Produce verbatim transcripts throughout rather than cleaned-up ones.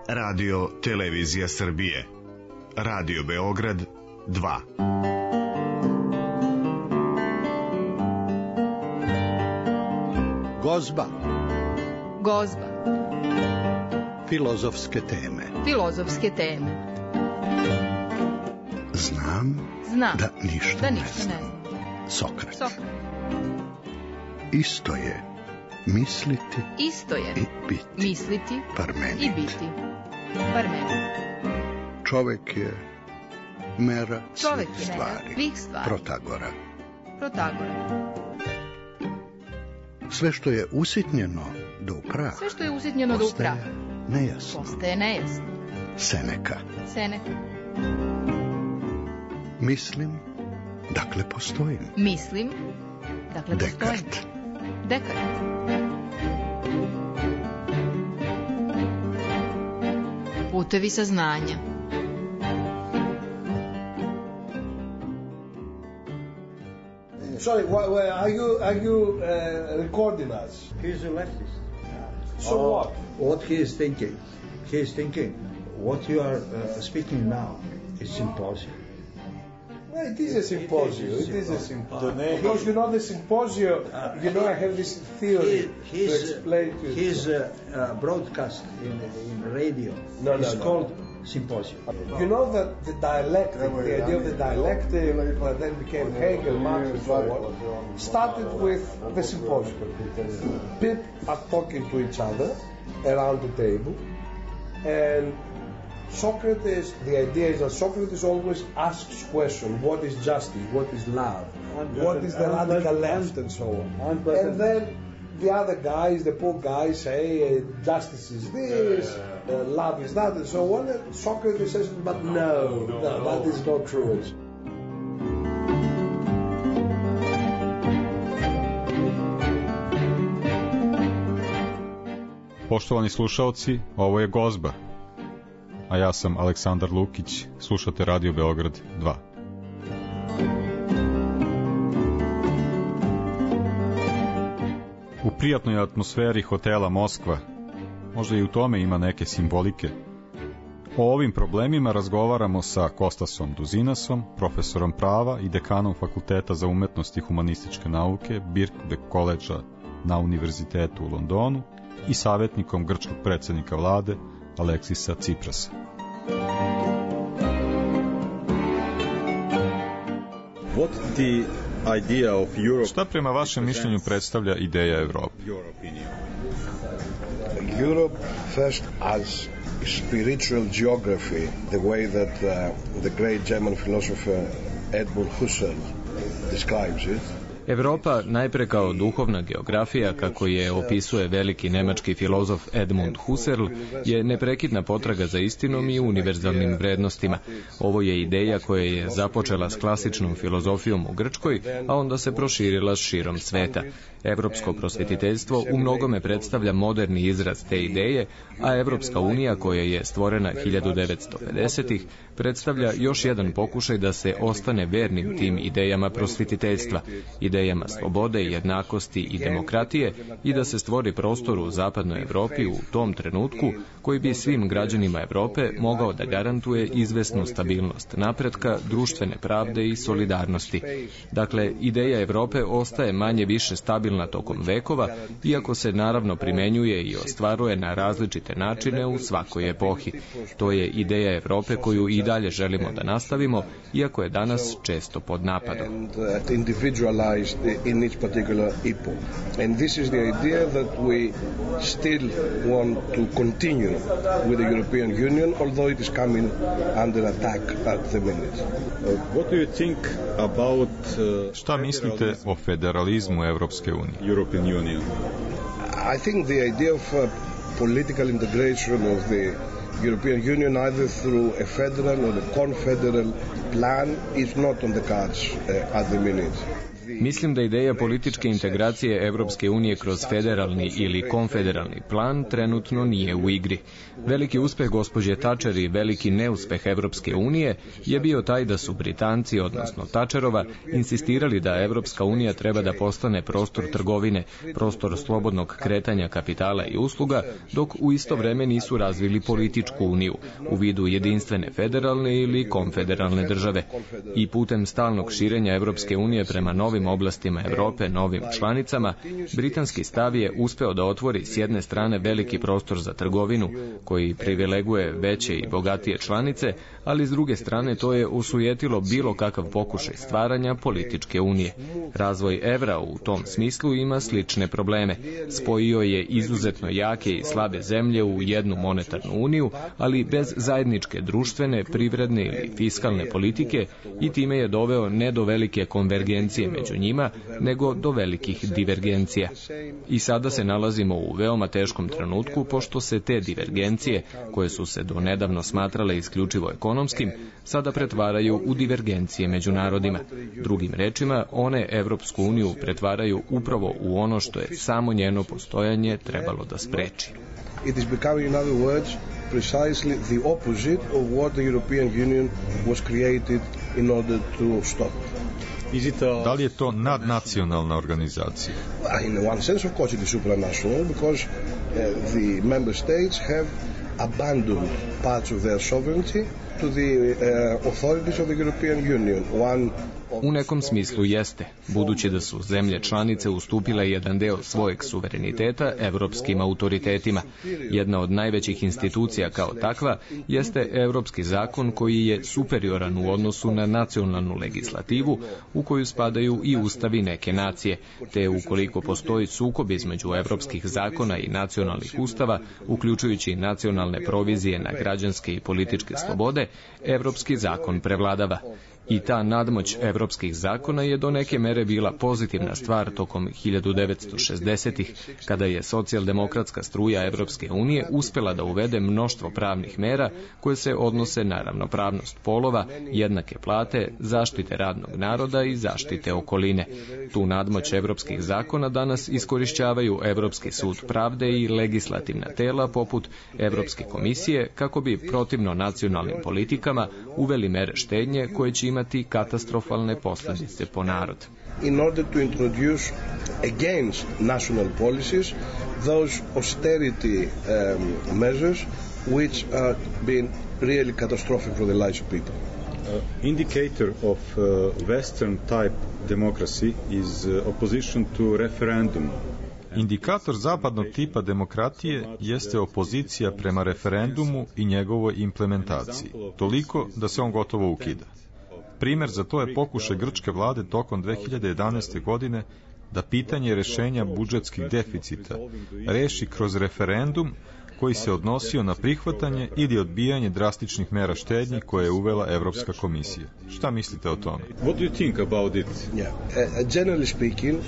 Radio Televizija Srbije. Radio Beograd dva. Gozba. Gozba. Filozofske teme. Filozofske teme. Znam, Znam da ništa, da ne ništa znam. ne znam. Sokrat. Sokrat. Isto je misliti Isto je i biti. misliti Parmenid. i biti. Parmenid. Čovek je mera Čovek svih je mera stvari. svih stvari. Protagora. Protagora. Sve što je usitnjeno do upraha, Sve što je usitnjeno do postaje upraha nejasno. postaje nejasno. Seneka. Seneka. Mislim, dakle postojim. Mislim, dakle postojim. Dekart. Dekart. Putevi saznanja. Sorry, why, why, are you are you uh, recording us? He's a leftist. So Uh, what? What he is thinking? He is thinking what you are uh, speaking now is symposium. Well, it is a symposium. It is It is a symposium. symposium. Because you know the symposium. You know, I have this theory He, to his explain to you. his uh, uh, broadcast in in radio No, no, is no. called symposium. You know that the dialectic, the idea of the dialectic, that then became Hegel, Marx, and so on, started with the symposium. People are talking to each other around the table, and Socrates, the idea is that Socrates always asks questions: what is justice? What is love? What is the radical left? And so on. And then the other guys, the poor guys, say uh, justice is this, uh, love is that, and so on. And Socrates says, but no, no, that is not true. Poštovani slušaoci, ovo je Gozba, a ja sam Aleksandar Lukić, slušate Radio Beograd dva. U prijatnoj atmosferi hotela Moskva, možda i u tome ima neke simbolike, o ovim problemima razgovaramo sa Kostasom Duzinasom, profesorom prava i dekanom Fakulteta za umetnost i humanističke nauke Birkbeck koledža na Univerzitetu u Londonu i savjetnikom grčkog predsjednika vlade Aleksisa Tsiprasa. What the idea of Europe? Šta prema vašem mišljenju predstavlja ideja Evrope? Europe first as spiritual geography, the way that uh, the great German philosopher Edmund Husserl describes it. Evropa najpre kao duhovna geografija, kako je opisuje veliki nemački filozof Edmund Husserl, je neprekidna potraga za istinom i univerzalnim vrednostima. Ovo je ideja koja je započela s klasičnom filozofijom u Grčkoj, a onda se proširila širom sveta. Evropsko prosvetiteljstvo u mnogome predstavlja moderni izraz te ideje, a Evropska unija, koja je stvorena hiljadu devetsto pedesetih, predstavlja još jedan pokušaj da se ostane vernim tim idejama prosvetiteljstva, idejama slobode, jednakosti i demokratije, i da se stvori prostor u zapadnoj Evropi u tom trenutku koji bi svim građanima Evrope mogao da garantuje izvesnu stabilnost napretka, društvene pravde i solidarnosti. Dakle, ideja Evrope ostaje manje više stabilna tokom vekova, iako se naravno primenjuje i ostvaruje na različite načine u svakoj epohi. To je ideja Evrope koju i dalje želimo da nastavimo, iako je danas često pod napadom. In each particular epoch. And this is the idea that we still want to continue with the European Union, although it is coming under attack at the minute. Uh, what do you think about uh, Šta mislite o federalizmu Evropske unije? European Union? I think the idea of uh, political integration of the European Union, either through a federal or a confederal plan, is not on the cards uh, at the minute. Mislim da ideja političke integracije Evropske unije kroz federalni ili konfederalni plan trenutno nije u igri. Veliki uspeh gospođe Thatcher i veliki neuspeh Evropske unije je bio taj da su Britanci, odnosno Thatcherova, insistirali da Evropska unija treba da postane prostor trgovine, prostor slobodnog kretanja kapitala i usluga, dok u isto vreme nisu razvili političku uniju u vidu jedinstvene federalne ili konfederalne države. I putem stalnog širenja Evropske unije prema novim oblastima Evrope, novim članicama, britanski stav je uspeo da otvori s jedne strane veliki prostor za trgovinu, koji privileguje veće i bogatije članice, ali s druge strane to je osujetilo bilo kakav pokušaj stvaranja političke unije. Razvoj evra u tom smislu ima slične probleme. Spojio je izuzetno jake i slabe zemlje u jednu monetarnu uniju, ali bez zajedničke društvene, privredne ili fiskalne politike, i time je doveo ne do velike konvergencije među njima, nego do velikih divergencija. I sada se nalazimo u veoma teškom trenutku, pošto se te divergencije, koje su se do nedavno smatrale isključivo ekonomskim, sada pretvaraju u divergencije među narodima. Drugim rečima, one Evropsku uniju pretvaraju upravo u ono što je samo njeno postojanje trebalo da spreči. It is becoming, in other words, precisely the opposite of what the European Union was created in order to stop. Da li je to nadnacionalna organizacija? In one sense, of course, it is supranational because uh, the member states have abandoned parts of their sovereignty to the uh, authorities of the European Union. One U nekom smislu jeste, budući da su zemlje članice ustupile jedan deo svojeg suvereniteta evropskim autoritetima. Jedna od najvećih institucija kao takva jeste Evropski zakon, koji je superioran u odnosu na nacionalnu legislativu u koju spadaju i ustavi neke nacije, te ukoliko postoji sukob između evropskih zakona i nacionalnih ustava, uključujući nacionalne provizije na građanske i političke slobode, evropski zakon prevladava. I ta nadmoć evropskih zakona je do neke mere bila pozitivna stvar tokom hiljadu devetsto šezdesetih, kada je socijaldemokratska struja Evropske unije uspela da uvede mnoštvo pravnih mera koje se odnose na ravnopravnost polova, jednake plate, zaštite radnog naroda i zaštite okoline. Tu nadmoć evropskih zakona danas iskorišćavaju Evropski sud pravde i legislativna tela poput Evropske komisije kako bi protivno nacionalnim politikama uveli mere štednje koje će imati katastrofalne posljedice po narod. In order to introduce against national policies those austerity um, measures which are been really catastrophic for the lives of people. Uh, indicator of uh, Western type democracy is uh, opposition to referendum. Indikator zapadnog tipa demokratije jeste opozicija prema referendumu i njegovoj implementaciji, toliko da se on gotovo ukida. Primer za to je pokušaj grčke vlade tokom dve hiljade jedanaeste. godine da pitanje rešenja budžetskih deficita reši kroz referendum koji se odnosio na prihvatanje ili odbijanje drastičnih mera štednje koje je uvela Evropska komisija. Šta mislite o tome? What do you think about it? Yeah. Uh, generally speaking,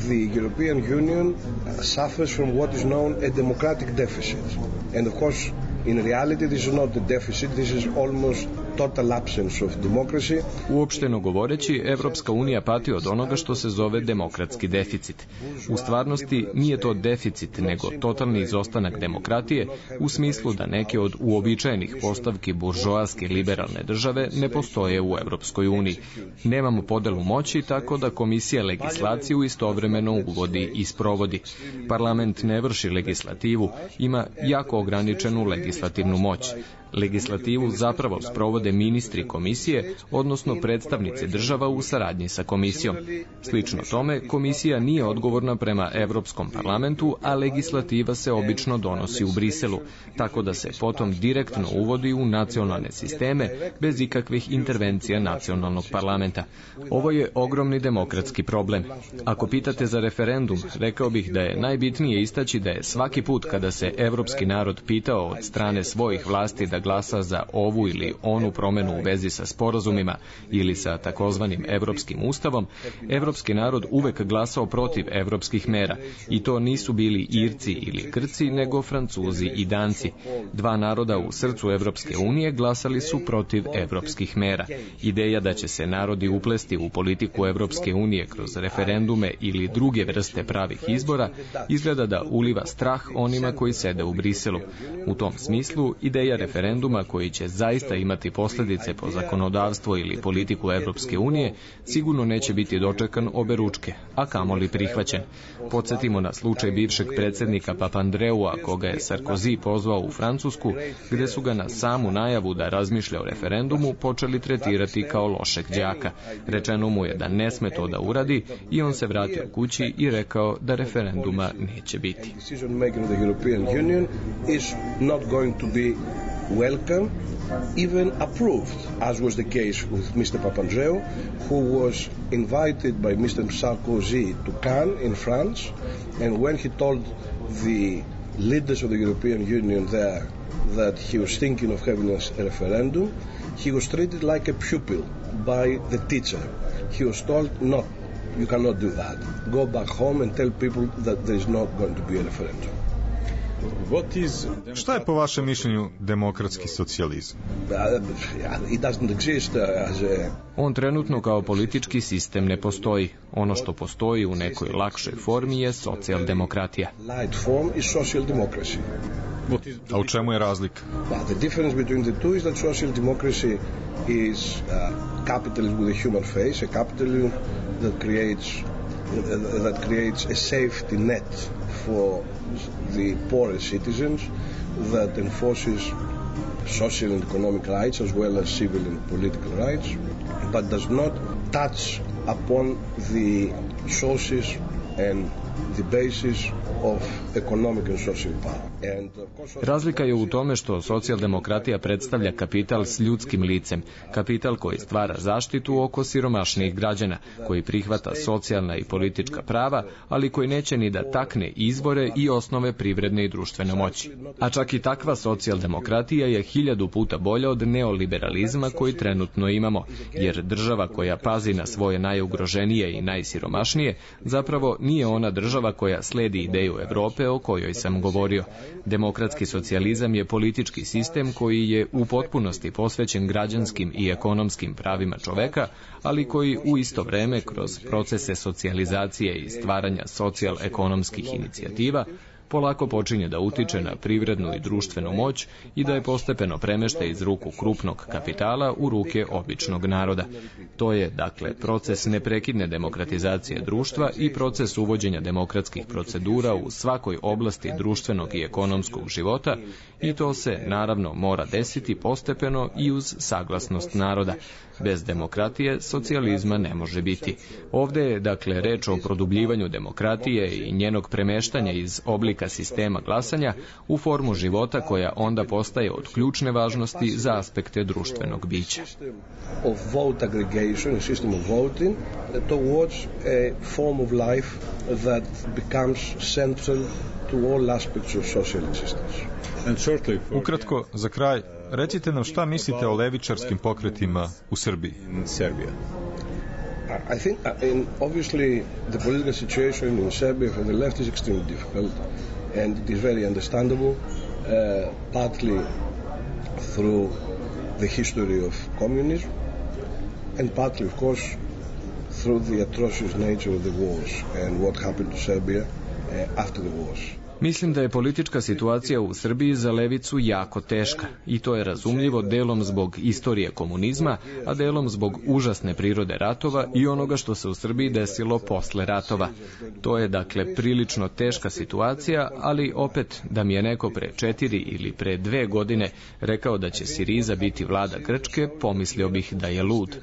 the European Union suffers from what is known a democratic deficit. And of course, in reality, this is not a deficit, this is almost total absence of democracy. Uopšteno govoreći, Evropska unija pati od onoga što se zove demokratski deficit. U stvarnosti nije to deficit, nego totalni izostanak demokratije, u smislu da neke od uobičajenih postavki buržoaske liberalne države ne postoje u Evropskoj uniji. Nemamo podelu moći, tako da komisija legislaciju istovremeno uvodi i sprovodi. Parlament ne vrši legislativu, ima jako ograničenu legislativnu moć. Legislativu zapravo sprovode ministri komisije, odnosno predstavnici država u saradnji sa komisijom. Slično tome, komisija nije odgovorna prema Evropskom parlamentu, a legislativa se obično donosi u Briselu, tako da se potom direktno uvodi u nacionalne sisteme bez ikakvih intervencija nacionalnog parlamenta. Ovo je ogromni demokratski problem. Ako pitate za referendum, rekao bih da je najbitnije istaći da je svaki put kada se evropski narod pitao od strane svojih vlasti da da glasa za ovu ili onu promenu u vezi sa sporazumima ili sa takozvanim Evropskim ustavom, evropski narod uvek glasao protiv evropskih mera i to nisu bili Irci ili Grci, nego Francuzi i Danci. Dva naroda u srcu Evropske unije glasali su protiv evropskih mera. Ideja da će se narodi uplesti u politiku Evropske unije kroz referendume ili druge vrste pravih izbora izgleda da uliva strah onima koji sede u Briselu. U tom smislu, ideja referenduma koji će zaista imati posljedice po zakonodavstvo ili politiku Evropske unije sigurno neće biti dočekan oberučke, a kamoli prihvaćen. Podsjetimo na slučaj bivšeg predsjednika Papandreua, koga je Sarkozy pozvao u Francusku, gde su ga na samu najavu da razmišlja o referendumu počeli tretirati kao lošeg đaka. Rečeno mu je da ne sme to da uradi i on se vratio kući i rekao da referenduma neće biti. Welcome, even approved, as was the case with Mister Papandreou, who was invited by Mister Sarkozy to Cannes in France, and when he told the leaders of the European Union there that he was thinking of having a referendum, he was treated like a pupil by the teacher. He was told, no, you cannot do that. Go back home and tell people that there is not going to be a referendum. Šta je po vašem mišljenju demokratski socijalizam? On trenutno kao politički sistem ne postoji. Ono što postoji u nekoj lakšoj formi je socijaldemokratija. A u čemu je razlika? The difference between the two is that social democracy is capitalism with a human face, a capitalism that creates that creates a safety net for the poorest citizens, that enforces social and economic rights as well as civil and political rights, but does not touch upon the sources and the basis of economic and social power. And Razlika je u tome što socijaldemokratija predstavlja kapital s ljudskim licem, kapital koji stvara zaštitu oko siromašnijih građana, koji prihvata socijalna i politička prava, ali koji neće ni da takne izbore i osnove privredne i društvene moći. A čak i takva socijaldemokratija je hiljadu puta bolja od neoliberalizma koji trenutno imamo, jer država koja pazi na svoje najugroženije i najsiromašnije zapravo nije ona država koja sledi ideju Evrope o kojoj sam govorio. Demokratski socijalizam je politički sistem koji je u potpunosti posvećen građanskim i ekonomskim pravima čoveka, ali koji u isto vreme kroz procese socijalizacije i stvaranja socijal-ekonomskih inicijativa polako počinje da utiče na privrednu i društvenu moć i da je postepeno premešta iz ruku krupnog kapitala u ruke običnog naroda. To je, dakle, proces neprekidne demokratizacije društva i proces uvođenja demokratskih procedura u svakoj oblasti društvenog i ekonomskog života i to se, naravno, mora desiti postepeno i uz saglasnost naroda. Bez demokratije socijalizma ne može biti. Ovde je, dakle, reč o produbljivanju demokratije i njenog premeštanja iz oblika sistema glasanja u formu života koja onda postaje od ključne važnosti za aspekte društvenog bića. Of vote aggregation, a system of voting, towards a form of life that becomes central to all aspects of social existence. Ukratko, za kraj, recite nam šta mislite o levičarskim pokretima u Srbiji? I think, in, obviously, the political situation in Serbia for the left is extremely difficult, and it is very understandable, uh, partly through the history of communism, and partly, of course, through the atrocious nature of the wars and what happened to Serbia uh, after the wars. Mislim da je politička situacija u Srbiji za levicu jako teška i to je razumljivo delom zbog istorije komunizma, a delom zbog užasne prirode ratova i onoga što se u Srbiji desilo posle ratova. To je, dakle, prilično teška situacija, ali opet da mi je neko pre četiri ili pre dve godine rekao da će Siriza biti vlada Grčke, pomislio bih da je lud.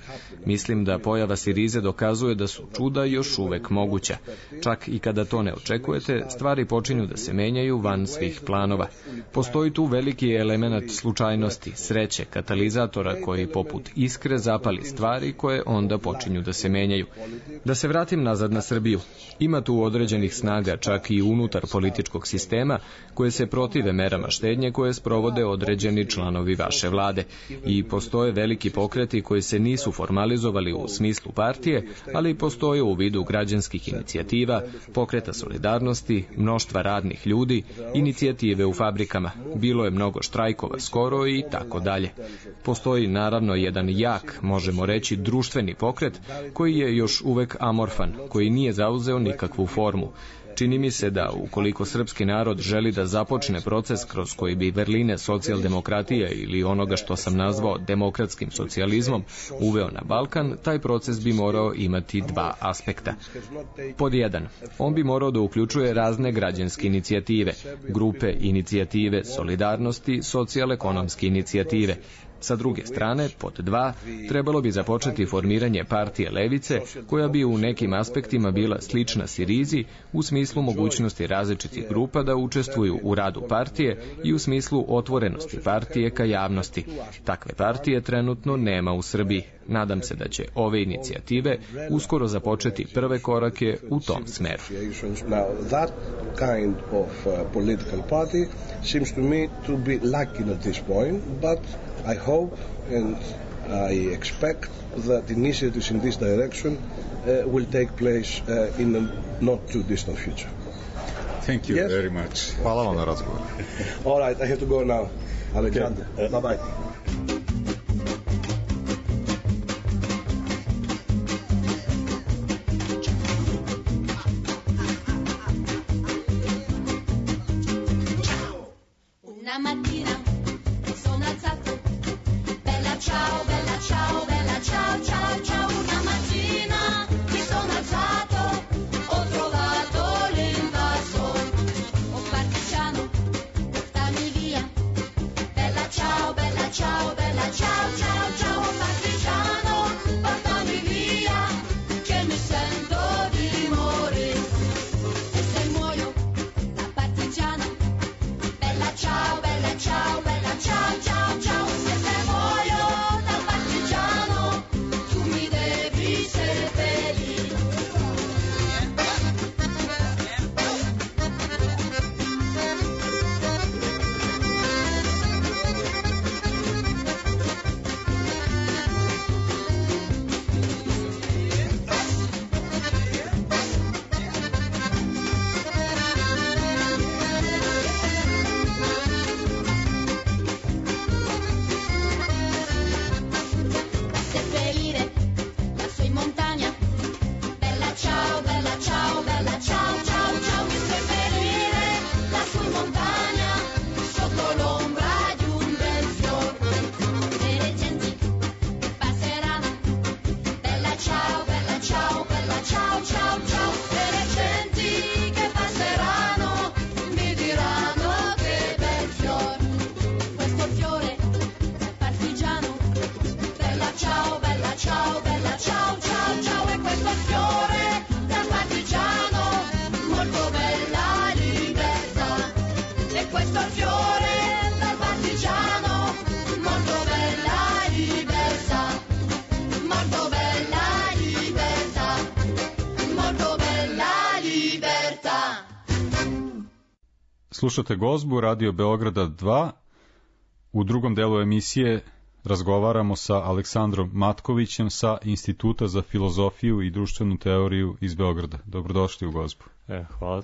Mislim da pojava Sirize dokazuje da su čuda još uvek moguća. Čak i kada to ne očekujete, stvari počinju da se menjaju van svih planova. Postoji tu veliki element slučajnosti, sreće, katalizatora koji poput iskre zapali stvari koje onda počinju da se menjaju. Da se vratim nazad na Srbiju. Ima tu određenih snaga čak i unutar političkog sistema koje se protive merama štednje koje sprovode određeni članovi vaše vlade. I postoje veliki pokreti koji se nisu formalizovali u smislu partije, ali postoje u vidu građanskih inicijativa, pokreta solidarnosti, mnoštva radnih ljudi, inicijative u fabrikama. Bilo je mnogo štrajkova skoro i tako dalje. Postoji naravno jedan jak, možemo reći, društveni pokret koji je još uvek amorfan, koji nije zauzeo nikakvu formu. Čini mi se da ukoliko srpski narod želi da započne proces kroz koji bi vrline socijaldemokratije ili onoga što sam nazvao demokratskim socijalizmom uveo na Balkan, taj proces bi morao imati dva aspekta. Pod jedan, on bi morao da uključuje razne građanske inicijative, grupe inicijative, solidarnosti, socijal-ekonomske inicijative. Sa druge strane, pod dva, trebalo bi započeti formiranje partije levice, koja bi u nekim aspektima bila slična Sirizi u smislu mogućnosti različitih grupa da učestvuju u radu partije i u smislu otvorenosti partije ka javnosti. Takve partije trenutno nema u Srbiji. Nadam se da će ove inicijative uskoro započeti prve korake u tom smeru. Now, that kind of uh, political party seems to me to be lacking at this point, but I hope and I expect that initiatives in this direction uh, will take place uh, in a not too distant future. Thank you yes? very much. Hvala vam na razgovor. All right, I have to go now. Alexander, okay. uh, bye-bye. Slušate Gozbu, Radio Beograda dva. U drugom delu emisije razgovaramo sa Aleksandrom Matkovićem sa Instituta za filozofiju i društvenu teoriju iz Beograda. Dobrodošli u Gozbu. E, hvala.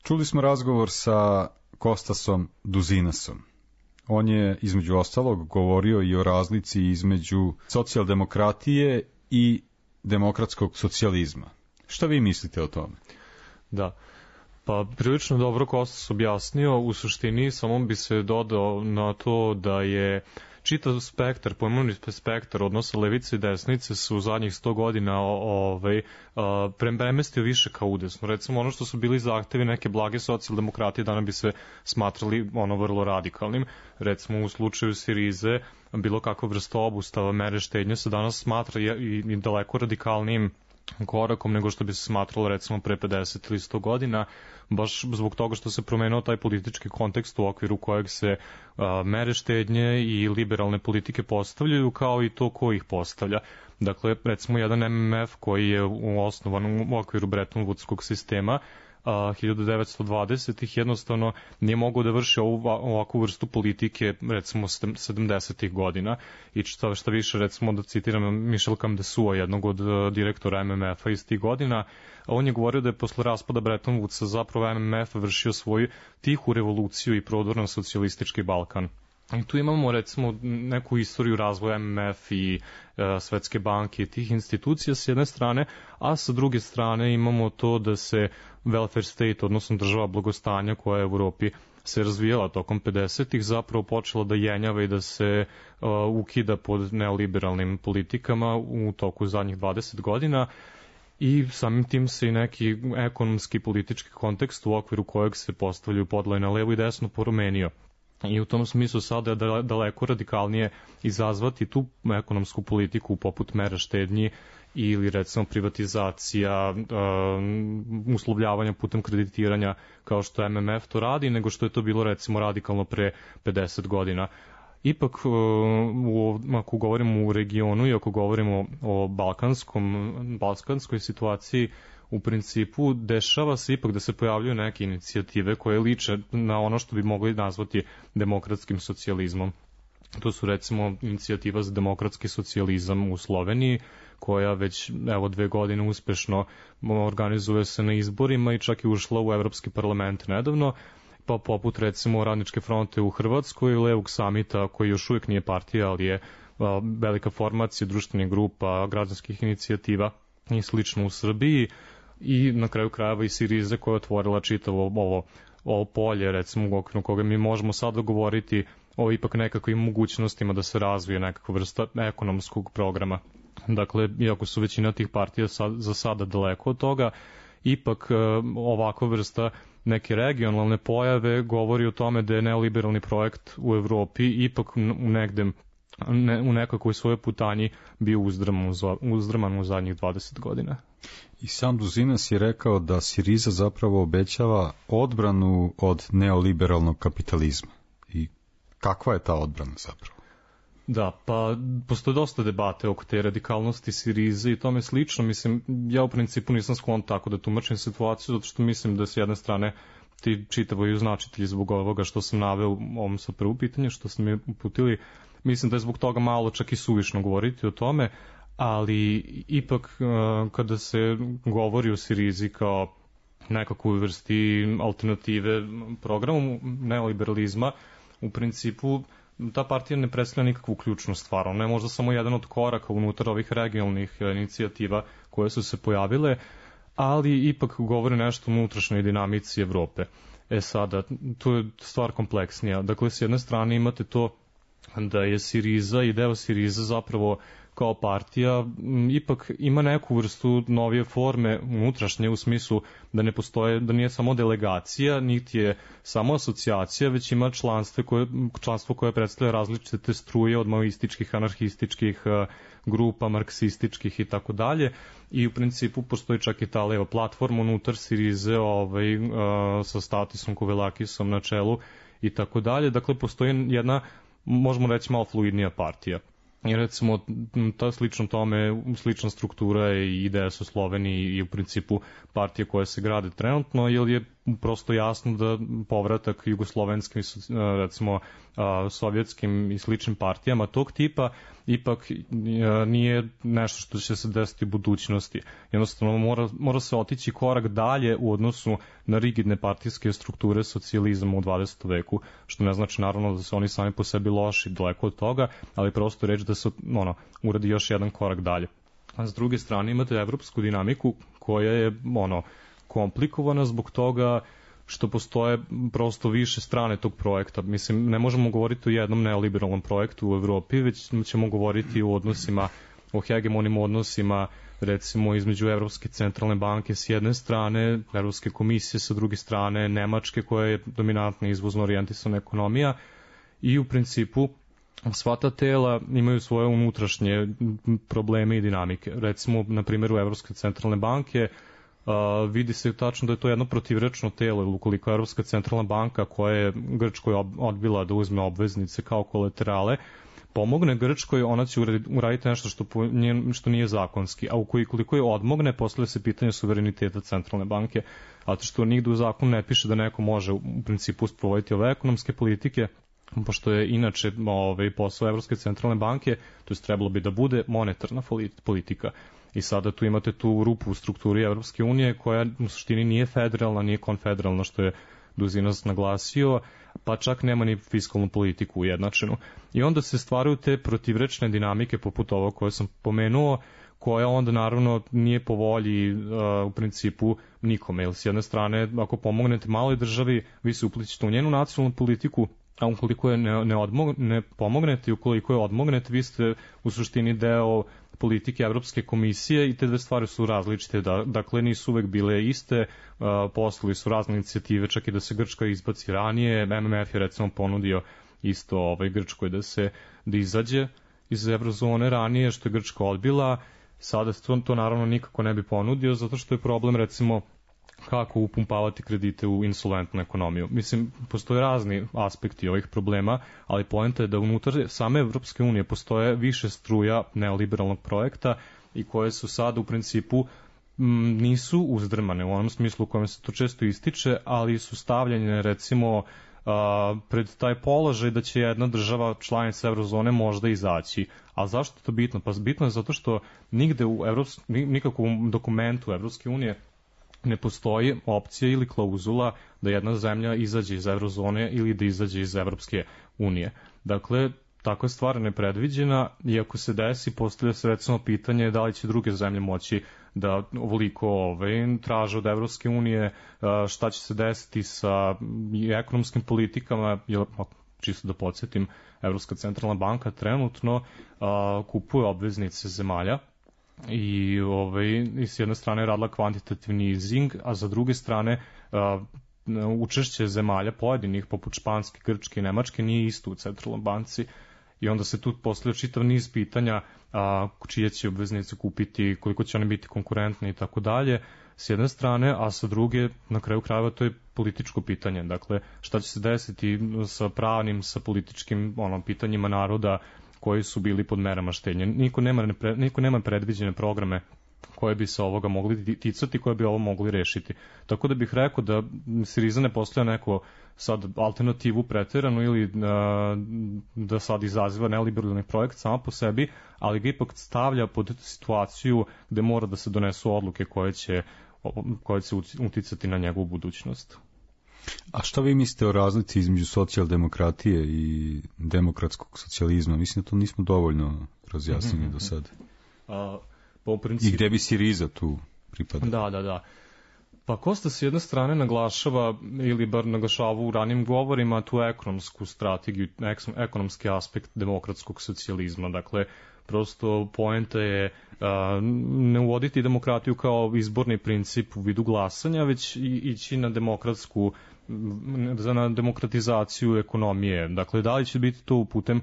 Čuli smo razgovor sa Kostasom Duzinasom. On je, između ostalog, govorio i o razlici između socijaldemokratije i demokratskog socijalizma. Šta vi mislite o tome? Da, pa prilično dobro Kostas objasnio. U suštini samo bi se dodao na to da je čitav spektar, pojmovni spektar odnosa levice i desnice su u zadnjih sto godina ovaj, premestio više ka udesno. Recimo ono što su bili zahtevi neke blage socijaldemokratije danas bi se smatrali ono vrlo radikalnim. Recimo u slučaju Sirize bilo kakva vrsta obustava mere štednje se danas smatra i, i daleko radikalnijim korakom nego što bi se smatralo recimo pre pedeset ili sto godina, baš zbog toga što se promenio taj politički kontekst u okviru kojeg se a, mere štednje i liberalne politike postavljaju, kao i to ko ih postavlja. Dakle, recimo jedan M M F koji je osnovan u okviru Bretton Woodskog sistema a, hiljadu devetsto dvadesetih jednostavno nije mogao da vrši ovu, ovakvu vrstu politike recimo sedamdesetih godina i šta, šta više recimo da citiram Michel Camdesua, jednog od direktora M M F-a iz tih godina, on je govorio da je posle raspada Bretton Woodsa zapravo M M F vršio svoju tihu revoluciju i prodor na socijalistički Balkan. I tu imamo recimo neku istoriju razvoja M M F i e, Svetske banke i tih institucija s jedne strane, a sa druge strane imamo to da se welfare state, odnosno država blagostanja koja je u Evropi se razvijala tokom pedesetih, zapravo počela da jenjava i da se uh, ukida pod neoliberalnim politikama u toku zadnjih dvadeset godina i samim tim se i neki ekonomski politički kontekst u okviru kojeg se postavljaju podloje na levo i desno promenio. I u tom smislu sada je daleko radikalnije izazvati tu ekonomsku politiku poput mera štednji ili recimo privatizacija, um, uslovljavanja putem kreditiranja kao što M M F to radi, nego što je to bilo recimo radikalno pre pedeset godina. Ipak, u, ako govorimo u regionu i ako govorimo o balkanskom, balkanskoj situaciji, u principu dešava se ipak da se pojavljuju neke inicijative koje liče na ono što bi mogli nazvati demokratskim socijalizmom. To su recimo inicijativa za demokratski socijalizam u Sloveniji, koja već evo dve godine uspešno organizuje se na izborima i čak i ušla u Evropski parlament nedavno, pa poput recimo Radničke fronte u Hrvatskoj, Levog samita koji još uvijek nije partija, ali je a, velika formacija društvenih grupa, građanskih inicijativa i slično u Srbiji, i na kraju krajeva i Sirize koja je otvorila čitavo ovo, ovo polje, recimo u okviru koga mi možemo sada govoriti o ipak nekakvim mogućnostima da se razvije nekakva vrsta ekonomskog programa. Dakle, iako su većina tih partija sad, za sada daleko od toga, ipak e, ovakva vrsta neke regionalne pojave govori o tome da je neoliberalni projekt u Evropi ipak u negde ne, u nekakvoj svojoj putanji bio uzdraman, uzdraman u zadnjih dvadeset godina. I sam Duzinas je rekao da Siriza zapravo obećava odbranu od neoliberalnog kapitalizma. I kakva je ta odbrana zapravo? Da, pa postoje dosta debate oko te radikalnosti Sirize i tome slično. Mislim, ja u principu nisam sklon tako da tumačim situaciju, zato što mislim da s jedne strane ti čitavaju značitelji zbog ovoga što sam naveo u ovom sa prvu pitanje, što sam mi uputili. Mislim da je zbog toga malo čak i suvišno govoriti o tome, ali ipak kada se govori o Sirizi kao nekakvoj vrsti alternative programu neoliberalizma, u principu ta partija ne predstavlja nikakvu ključnu stvar. Ona je možda samo jedan od koraka unutar ovih regionalnih inicijativa koje su se pojavile, ali ipak govori nešto o unutrašnjoj dinamici Evrope. E sada, tu je stvar kompleksnija. Dakle, s jedne strane imate to da je Siriza i deo Siriza zapravo kao partija ipak ima neku vrstu novije forme unutrašnje u smislu da ne postoje, da nije samo delegacija, niti je samo asocijacija, već ima članstvo koje, članstvo koje predstavlja različite struje od maoističkih, anarhističkih grupa, marksističkih i tako dalje. I u principu postoji čak i ta leva platforma unutar Sirize ovaj, sa Statisom Kovelakisom na čelu i tako dalje. Dakle, postoji jedna, možemo reći, malo fluidnija partija. I recimo, ta slično tome, slična struktura je i ideja su Sloveniji i u principu partije koje se grade trenutno, jer je prosto jasno da povratak jugoslovenskim, recimo sovjetskim i sličnim partijama tog tipa ipak nije nešto što će se desiti u budućnosti. Jednostavno mora, mora se otići korak dalje u odnosu na rigidne partijske strukture socijalizma u dvadesetom veku, što ne znači naravno da su oni sami po sebi loši, daleko od toga, ali prosto reći da se ono, uradi još jedan korak dalje. A s druge strane imate evropsku dinamiku koja je ono, komplikovana zbog toga što postoje prosto više strane tog projekta. Mislim, ne možemo govoriti o jednom neoliberalnom projektu u Evropi, već ćemo govoriti o odnosima, o hegemonim odnosima, recimo između Evropske centralne banke s jedne strane, Evropske komisije sa druge strane, Nemačke koja je dominantna izvozno orijentisana ekonomija i u principu sva ta tela imaju svoje unutrašnje probleme i dinamike. Recimo, na primjeru Evropske centralne banke, Uh, vidi se tačno da je to jedno protivrečno telo, ukoliko Evropska centralna banka koja je Grčkoj odbila da uzme obveznice kao kolaterale, pomogne Grčkoj, ona će uraditi nešto što, po njen, što nije zakonski, a ukoliko je odmogne, postavlja se pitanje suvereniteta centralne banke, a to što nigde u zakonu ne piše da neko može u principu sprovoditi ove ekonomske politike, pošto je inače ovaj, posao Evropske centralne banke, to je trebalo bi da bude monetarna politika. I sada tu imate tu rupu u strukturi Evropske unije koja u suštini nije federalna, nije konfederalna, što je Duzinas naglasio, pa čak nema ni fiskalnu politiku ujednačenu. I onda se stvaraju te protivrečne dinamike poput ovo koje sam pomenuo, koja onda naravno nije po volji uh, u principu nikome. Jer s jedne strane, ako pomognete maloj državi, vi se uplićete u njenu nacionalnu politiku, a ukoliko je ne, ne, odmog, ne pomognete i ukoliko je odmognete, vi ste u suštini deo politike Evropske komisije i te dve stvari su različite, da, dakle nisu uvek bile iste, uh, postojali su razne inicijative, čak i da se Grčka izbaci ranije, M M F je recimo ponudio isto ovaj, Grčkoj da se da izađe iz eurozone ranije, što je Grčka odbila, sada to, to naravno nikako ne bi ponudio, zato što je problem recimo kako upumpavati kredite u insolventnu ekonomiju. Mislim, postoje razni aspekti ovih problema, ali poenta je da unutar same Evropske unije postoje više struja neoliberalnog projekta i koje su sada u principu m, nisu uzdrmane u onom smislu u kojem se to često ističe, ali su stavljene recimo a, pred taj položaj da će jedna država članica eurozone možda izaći. A zašto je to bitno? Pa bitno je zato što nigde u Evrops, nikakvom dokumentu Evropske unije ne postoji opcija ili klauzula da jedna zemlja izađe iz eurozone ili da izađe iz Evropske unije. Dakle, takva stvar je nepredviđena i ako se desi, postavlja se recimo pitanje da li će druge zemlje moći da ovoliko ovaj, traže od Evropske unije, šta će se desiti sa ekonomskim politikama, jer, čisto da podsjetim, Evropska centralna banka trenutno a, kupuje obveznice zemalja i ovaj, s jedne strane je radila kvantitativni easing, a za druge strane uh, učešće zemalja pojedinih, poput Španske, Grčke i Nemačke, nije isto u centralnoj banci. I onda se tu postavlja čitav niz pitanja a, čije će obveznice kupiti, koliko će one biti konkurentne i tako dalje, s jedne strane, a sa druge, na kraju krajeva, to je političko pitanje. Dakle, šta će se desiti sa pravnim, sa političkim ono, pitanjima naroda koji su bili pod merama štednje. Niko nema, niko nema predviđene programe koje bi se ovoga mogli ticati, koje bi ovo mogli rešiti. Tako da bih rekao da Siriza ne postoja neko sad alternativu preteranu ili a, da sad izaziva neliberalni projekt sama po sebi, ali ga ipak stavlja pod situaciju gde mora da se donesu odluke koje će, koje će uticati na njegovu budućnost. A šta vi mislite o razlici između socijaldemokratije i demokratskog socijalizma? Mislim da to nismo dovoljno razjasnili mm-hmm. do sada. A, po principu... I gde bi Siriza tu pripada? Da, da, da. Pa Kosta s jedne strane naglašava, ili bar naglašava u ranim govorima, tu ekonomsku strategiju, ekonomski aspekt demokratskog socijalizma. Dakle, prosto poenta je a, ne uvoditi demokratiju kao izborni princip u vidu glasanja, već i, ići na demokratsku na demokratizaciju ekonomije. Dakle, da li će biti to putem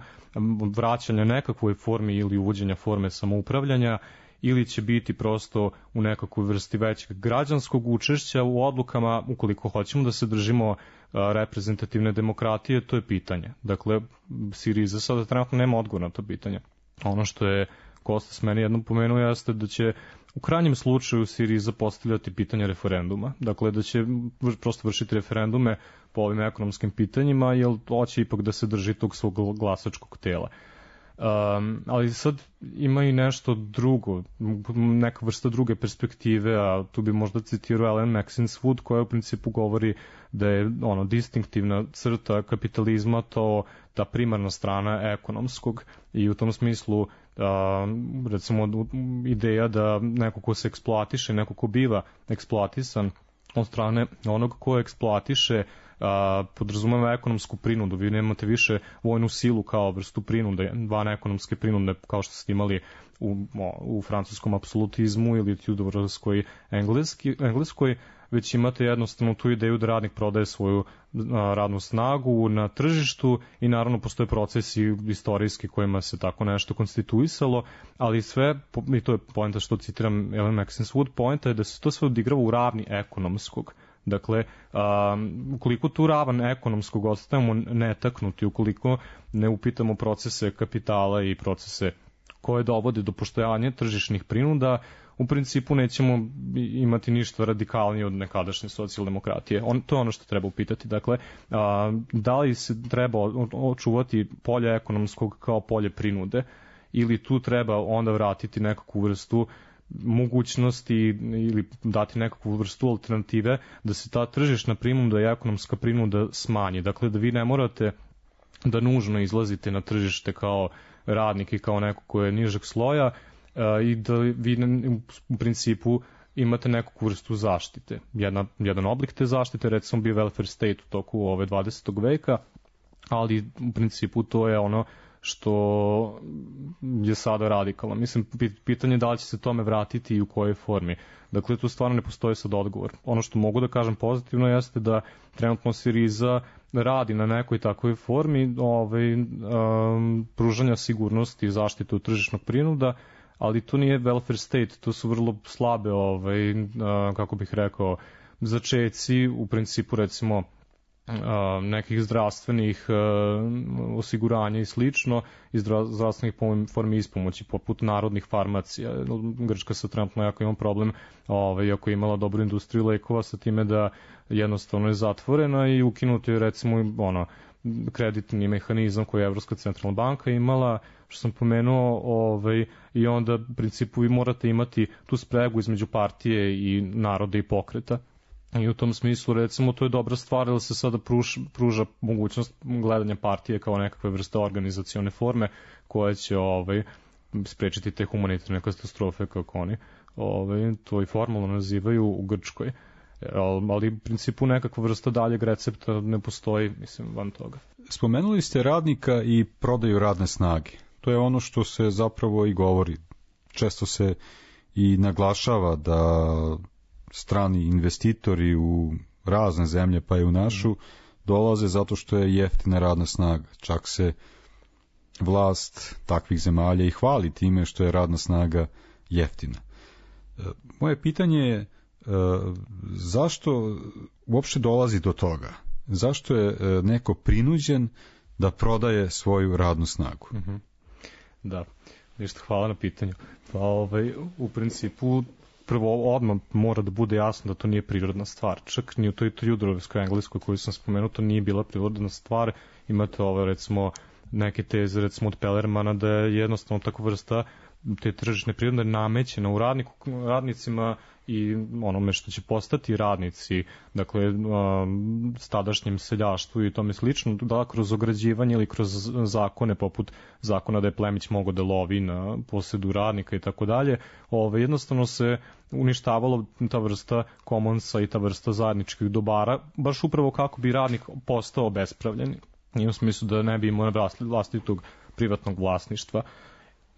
vraćanja nekakvoj formi ili uvođenja forme samoupravljanja, ili će biti prosto u nekakvoj vrsti većeg građanskog učešća u odlukama, ukoliko hoćemo da se držimo reprezentativne demokratije, to je pitanje. Dakle, Siriza sada trenutno nema odgovor na to pitanje. Ono što je Kostas meni jednom pomenuo jeste da će u krajnjem slučaju Siriza postavljati pitanje referenduma. Dakle, da će prosto vršiti referendume po ovim ekonomskim pitanjima, jer hoće ipak da se drži tog svog glasačkog tela. Um, ali sad ima i nešto drugo, neka vrsta druge perspektive, a tu bi možda citirao Ellen Maxine Wood, koja u principu govori da je ono distinktivna crta kapitalizma to ta primarna strana ekonomskog i u tom smislu um, recimo ideja da neko ko se eksploatiše, neko ko biva eksploatisan od strane onog ko eksploatiše a, podrazumeva ekonomsku prinudu. Vi nemate više vojnu silu kao vrstu prinude, van ekonomske prinude kao što ste imali u, u francuskom apsolutizmu ili Tudorskoj engleskoj, već imate jednostavno tu ideju da radnik prodaje svoju a, radnu snagu na tržištu i naravno postoje procesi istorijski kojima se tako nešto konstituisalo, ali sve, i to je poenta što citiram Ellen Maxine Wood, poenta je da se to sve odigrava u ravni ekonomskog. Dakle, um, ukoliko tu ravan ekonomskog ostavimo netaknuti, ukoliko ne upitamo procese kapitala i procese koje dovode do postojanja tržišnih prinuda, u principu nećemo imati ništa radikalnije od nekadašnje socijaldemokratije. On, to je ono što treba upitati. Dakle, a, da li se treba očuvati polje ekonomskog kao polje prinude ili tu treba onda vratiti nekakvu vrstu mogućnosti ili dati nekakvu vrstu alternative da se ta tržišna prinuda i ekonomska prinuda smanji. Dakle, da vi ne morate da nužno izlazite na tržište kao radnik i kao neko ko je nižeg sloja uh, i da vi u principu imate neku vrstu zaštite. Jedna, jedan oblik te zaštite recimo bio welfare state u toku ove dvadesetog veka, ali u principu to je ono što je sada radikalno. Mislim, pitanje je da li će se tome vratiti i u kojoj formi. Dakle, tu stvarno ne postoji sad odgovor. Ono što mogu da kažem pozitivno jeste da trenutno Siriza radi na nekoj takvoj formi ovaj, um, pružanja sigurnosti i zaštite od tržišnog prinuda, ali to nije welfare state, to su vrlo slabe, ovaj, uh, kako bih rekao, začeci, u principu recimo nekih zdravstvenih osiguranja i slično, i zdravstvenih formi ispomoći, poput narodnih farmacija. Grčka sa trenutno jako ima problem, ovaj, ako je imala dobru industriju lekova, sa time da jednostavno je zatvorena i ukinuti je recimo ono, kreditni mehanizam koji je Evropska centralna banka imala, što sam pomenuo, ovaj, i onda u principu vi morate imati tu spregu između partije i naroda i pokreta. I u tom smislu, recimo, to je dobra stvar da se sada pruž, pruža mogućnost gledanja partije kao nekakve vrste organizacione forme koja će ovaj, sprečiti te humanitarne katastrofe kako oni ovaj, to i formalno nazivaju u Grčkoj. Ali u principu nekakva vrsta daljeg recepta ne postoji, mislim, van toga. Spomenuli ste radnika i prodaju radne snage. To je ono što se zapravo i govori. Često se i naglašava da strani investitori u razne zemlje, pa i u našu, dolaze zato što je jeftina radna snaga. Čak se vlast takvih zemalja i hvali time što je radna snaga jeftina. Moje pitanje je zašto uopšte dolazi do toga? Zašto je neko prinuđen da prodaje svoju radnu snagu? Mm-hmm. Da, ništa, hvala na pitanju. Pa ovaj, u principu prvo odmah mora da bude jasno da to nije prirodna stvar. Čak ni u toj Tudorovskoj engleskoj koju sam spomenuo, to nije bila prirodna stvar. Imate ovo, recimo, neke teze, recimo od Pellermana, da je jednostavno takva vrsta te tržišne prirode namećena u radniku, radnicima i onome što će postati radnici, dakle, stadašnjem seljaštvu i tome slično, da kroz ograđivanje ili kroz zakone, poput zakona da je plemić mogao da lovi na posedu radnika i tako dalje, ove, jednostavno se uništavalo ta vrsta komonsa i ta vrsta zajedničkih dobara, baš upravo kako bi radnik postao obespravljen, i u smislu da ne bi imao vlastitog privatnog vlasništva.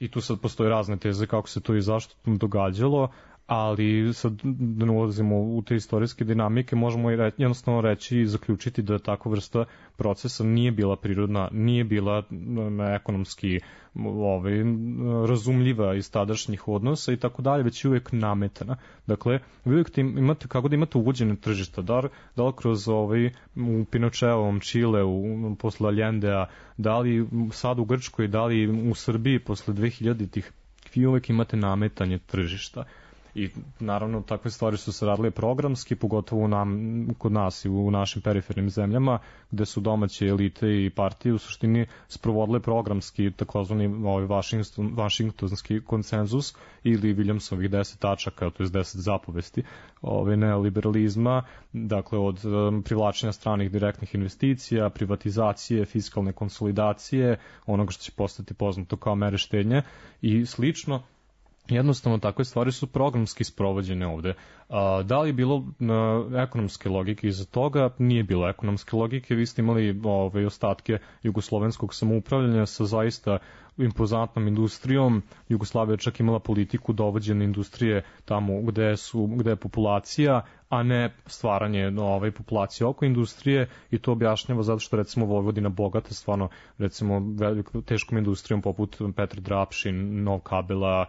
I tu sad postoje razne teze kako se to i zašto događalo, ali sad da ne ulazimo u te istorijske dinamike, možemo i re, jednostavno reći i zaključiti da takva vrsta procesa nije bila prirodna, nije bila ekonomski ovaj, razumljiva iz tadašnjih odnosa i tako dalje, već je uvijek nametana. Dakle, vi uvijek imate, kako da imate uvođene tržišta, da, da li kroz ovaj, u Pinočeovom Čile, u, posle Allendea, da li sad u Grčkoj, da li u Srbiji posle dvehiljaditih, vi uvijek imate nametanje tržišta. I naravno takve stvari su se radile programski, pogotovo nam, kod nas i u našim perifernim zemljama, gde su domaće elite i partije u suštini sprovodile programski takozvani ovaj Washington, Washingtonski konsenzus ili Williamsovih deset tačaka, to je deset zapovesti ovaj neoliberalizma, dakle od um, privlačenja stranih direktnih investicija, privatizacije, fiskalne konsolidacije, onoga što će postati poznato kao mere štednje i slično. jednostavno takve stvari su programski sprovođene ovde. A, da li je bilo na, ekonomske logike iza toga? Nije bilo ekonomske logike. Vi ste imali ove, ostatke jugoslovenskog samoupravljanja sa zaista impozantnom industrijom. Jugoslavija čak imala politiku dovođene industrije tamo gde, su, gde je populacija, a ne stvaranje ove populacije oko industrije, i to objašnjava zato što recimo Vojvodina bogata stvarno recimo velikom teškom industrijom poput Petar Drapšin, Nov Kabela,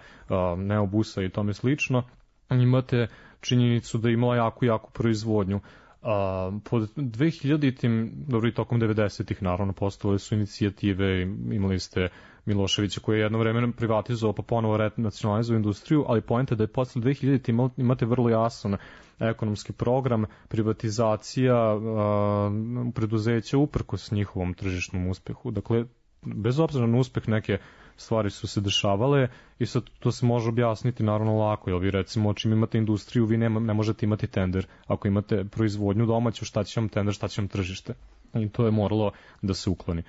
Neobusa i tome slično. Imate činjenicu da je imala jako, jako proizvodnju. A, pod dvehiljaditim, dobro i tokom devedesetih naravno postojale su inicijative, imali ste Miloševića koji je jedno vreme privatizovao pa ponovo nacionalizovao industriju, ali poenta da je posle dvehiljaditih imate vrlo jasan ekonomski program, privatizacija a, preduzeća uprkos njihovom tržišnom uspehu. Dakle, bez obzira na uspeh neke stvari su se dešavale i sad to se može objasniti naravno lako, jer vi recimo čim imate industriju vi nema, ne možete imati tender, ako imate proizvodnju domaću šta će vam tender, šta će vam tržište, i to je moralo da se ukloni.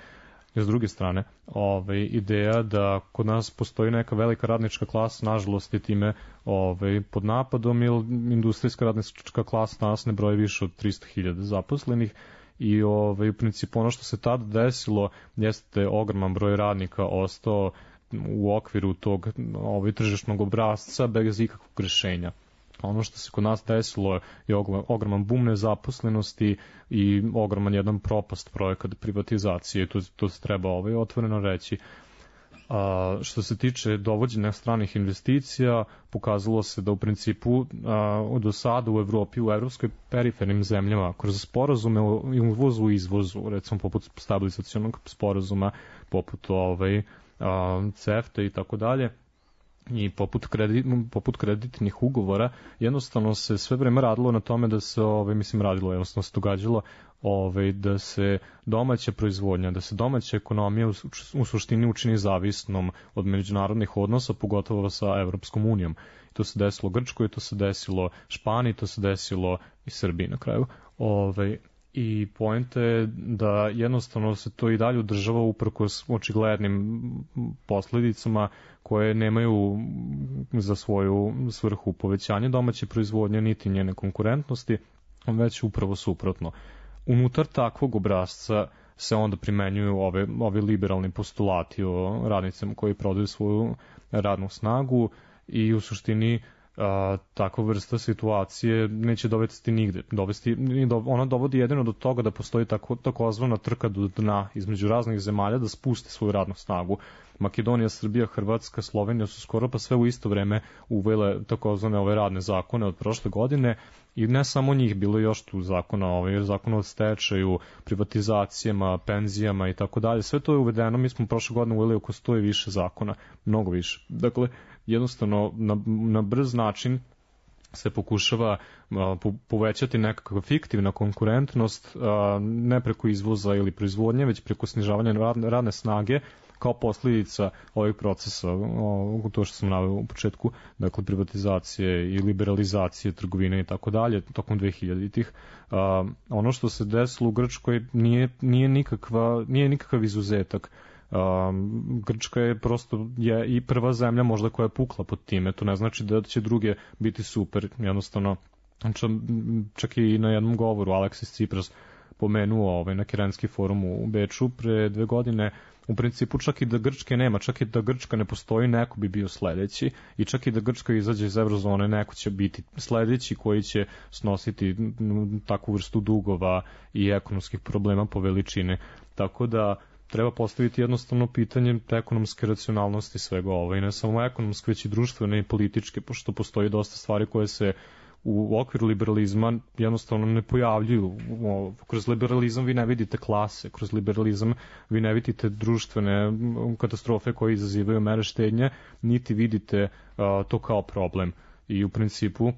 I s druge strane, ovaj, ideja da kod nas postoji neka velika radnička klasa, nažalost je time ovaj, pod napadom, jer industrijska radnička klasa nas ne broji više od tristo hiljada zaposlenih, i ovaj, u principu ono što se tada desilo jeste ogroman broj radnika ostao u okviru tog ovaj, tržišnog obrazca bez ikakvog rešenja. Ono što se kod nas desilo je ogroman bum nezaposlenosti i ogroman jedan propast projekat privatizacije, to, to se treba ovaj, otvoreno reći. A, što se tiče dovođenja stranih investicija, pokazalo se da u principu a, do sada u Evropi, u evropskoj perifernim zemljama, kroz sporazume o uvozu i izvozu, recimo poput stabilizacionog sporazuma, poput ovaj, a, CEFTA i tako dalje, i poput, kredit, poput kreditnih ugovora, jednostavno se sve vreme radilo na tome da se, ovaj, mislim radilo, jednostavno se događalo ovaj, da se domaća proizvodnja, da se domaća ekonomija u, u suštini učini zavisnom od međunarodnih odnosa, pogotovo sa Evropskom unijom. To se desilo Grčkoj, to se desilo Španiji, to se desilo i Srbiji na kraju. Ovaj, I poenta je da jednostavno se to i dalje održava uprkos očiglednim posledicama koje nemaju za svoju svrhu povećanje domaće proizvodnje niti njene konkurentnosti, već upravo suprotno. Unutar takvog obrazca se onda primenjuju ove, ove liberalni postulati o radnicama koji prodaju svoju radnu snagu i u suštini a, takva vrsta situacije neće dovesti nigde. Dovesti, ona dovodi jedino do toga da postoji tako, takozvana trka do dna između raznih zemalja da spuste svoju radnu snagu. Makedonija, Srbija, Hrvatska, Slovenija su skoro pa sve u isto vreme uvele takozvane ove radne zakone od prošle godine, i ne samo njih, bilo je još tu zakona, ovaj, zakona o stečaju, privatizacijama, penzijama i tako dalje. Sve to je uvedeno, mi smo prošle godine uveli oko sto i više zakona, mnogo više. Dakle, jednostavno na, na brz način se pokušava a, po, povećati nekakva fiktivna konkurentnost, a, ne preko izvoza ili proizvodnje, već preko snižavanja radne, radne snage, kao posljedica ovih procesa, o, to što sam naveo u početku, dakle privatizacije i liberalizacije trgovine i tako dalje, tokom dvehiljaditih. A, ono što se desilo u Grčkoj nije, nije, nikakva, nije nikakav izuzetak. Um, Grčka je prosto je i prva zemlja možda koja je pukla pod time, to ne znači da će druge biti super, jednostavno čak i na jednom govoru Aleksis Tsipras pomenuo ovaj, na Kirenski forum u Beču pre dve godine, u principu čak i da Grčke nema, čak i da Grčka ne postoji, neko bi bio sledeći, i čak i da Grčka izađe iz eurozone, neko će biti sledeći koji će snositi takvu vrstu dugova i ekonomskih problema po veličini, tako da treba postaviti jednostavno pitanje ekonomske racionalnosti svega ovo, i ne samo ekonomske, već i društvene i političke, pošto postoji dosta stvari koje se u okviru liberalizma jednostavno ne pojavljuju. Kroz liberalizam vi ne vidite klase, kroz liberalizam vi ne vidite društvene katastrofe koje izazivaju mere štednje, niti vidite uh, to kao problem. I u principu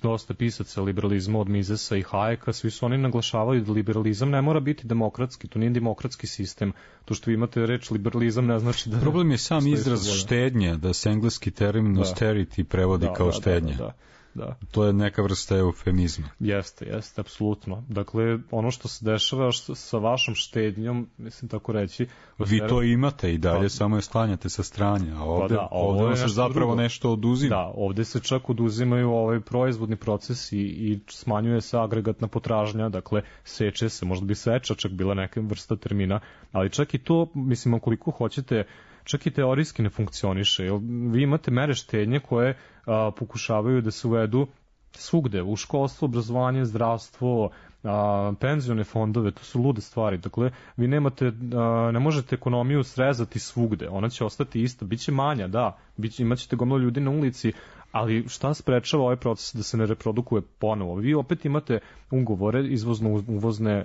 dosta pisaca liberalizma od Misesa i Hayeka, svi su oni naglašavali da liberalizam ne mora biti demokratski, to nije demokratski sistem. To što vi imate reč liberalizam ne znači da... Problem je sam izraz štednje, da se engleski termin da. austerity prevodi da, kao da, štednje. Da, da, da. da. To je neka vrsta eufemizma. Jeste, jeste, apsolutno. Dakle, ono što se dešava što, sa vašom štednjom, mislim tako reći... Vi to imate i dalje, pa, samo je sklanjate sa strane, a ovde, pa da, ovde se zapravo drugo. nešto oduzima. Da, ovde se čak oduzimaju ovaj proizvodni proces i, i smanjuje se agregatna potražnja, dakle, seče se, možda bi seča čak bila neka vrsta termina, ali čak i to, mislim, koliko hoćete, čak i teorijski ne funkcioniše. Jer vi imate mere štednje koje a, pokušavaju da se uvedu svugde, u školstvo, obrazovanje, zdravstvo, a, penzione fondove, to su lude stvari. Dakle, vi nemate, a, ne možete ekonomiju srezati svugde, ona će ostati ista, bit će manja, da, bit će, imat ćete gomilo ljudi na ulici, ali šta sprečava ovaj proces da se ne reprodukuje ponovo? Vi opet imate ugovore, izvozno-uvozne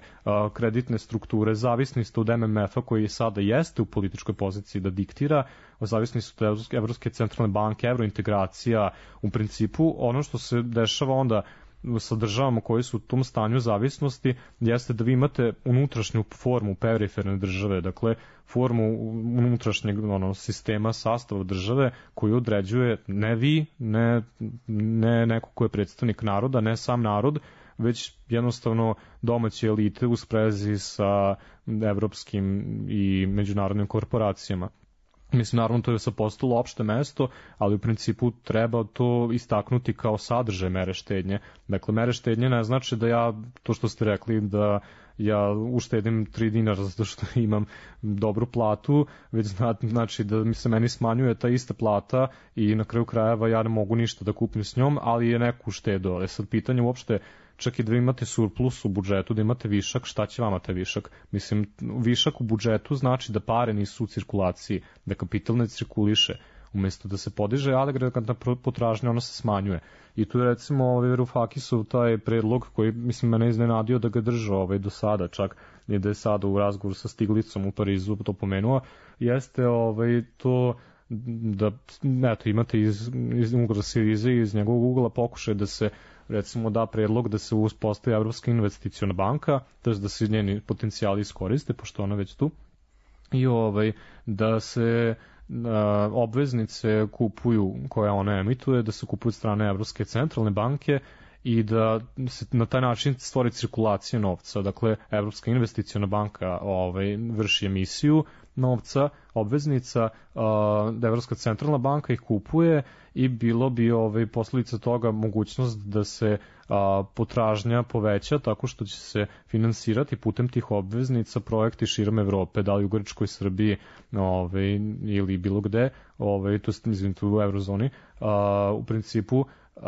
kreditne strukture, zavisni ste od M M F-a koji sada jeste u političkoj poziciji da diktira, zavisni ste od Evropske centralne banke, evrointegracija, u principu ono što se dešava onda sa državama koji su u tom stanju zavisnosti jeste da vi imate unutrašnju formu periferne države, dakle formu unutrašnjeg ono, sistema sastava države koju određuje ne vi, ne, ne neko ko je predstavnik naroda, ne sam narod, već jednostavno domaće elite u sprezi sa evropskim i međunarodnim korporacijama. Mislim, naravno, to je sa postalo opšte mesto, ali u principu treba to istaknuti kao sadržaj mere štednje. Dakle, mere štednje ne znači da ja, to što ste rekli, da ja uštedim tri dinara zato što imam dobru platu, već znači da mi se meni smanjuje ta ista plata i na kraju krajeva ja ne mogu ništa da kupim s njom, ali je neku uštedo. Ali sad pitanje uopšte, čak i da imate surplus u budžetu, da imate višak, šta će vama taj višak? Mislim, višak u budžetu znači da pare nisu u cirkulaciji, da kapital ne cirkuliše. Umesto da se podiže agregatna potražnja, ona se smanjuje. I tu je recimo ovaj Varoufakisov taj predlog koji, mislim, mene iznenadio da ga držao ovaj, do sada, čak i da je sada u razgovoru sa Stiglicom u Parizu to pomenuo, jeste ovaj, to da, eto, imate iz, iz ugovora Sirize iz njegovog ugla pokušaj da se recimo da predlog da se uspostavi Evropska investiciona banka, to je da se njeni potencijali iskoriste, pošto ona već tu, i ovaj, da se a, obveznice kupuju koje ona emituje, da se kupuju strane Evropske centralne banke i da se na taj način stvori cirkulacija novca. Dakle, Evropska investiciona banka ovaj, vrši emisiju novca, obveznica, da Evropska centralna banka ih kupuje i bilo bi ovaj, posljedica toga mogućnost da se a, potražnja poveća tako što će se finansirati putem tih obveznica projekti širom Evrope, da li u Grčkoj, Srbiji ovaj, ili bilo gde, ovaj, to je mislim tu u eurozoni, a, u principu Uh,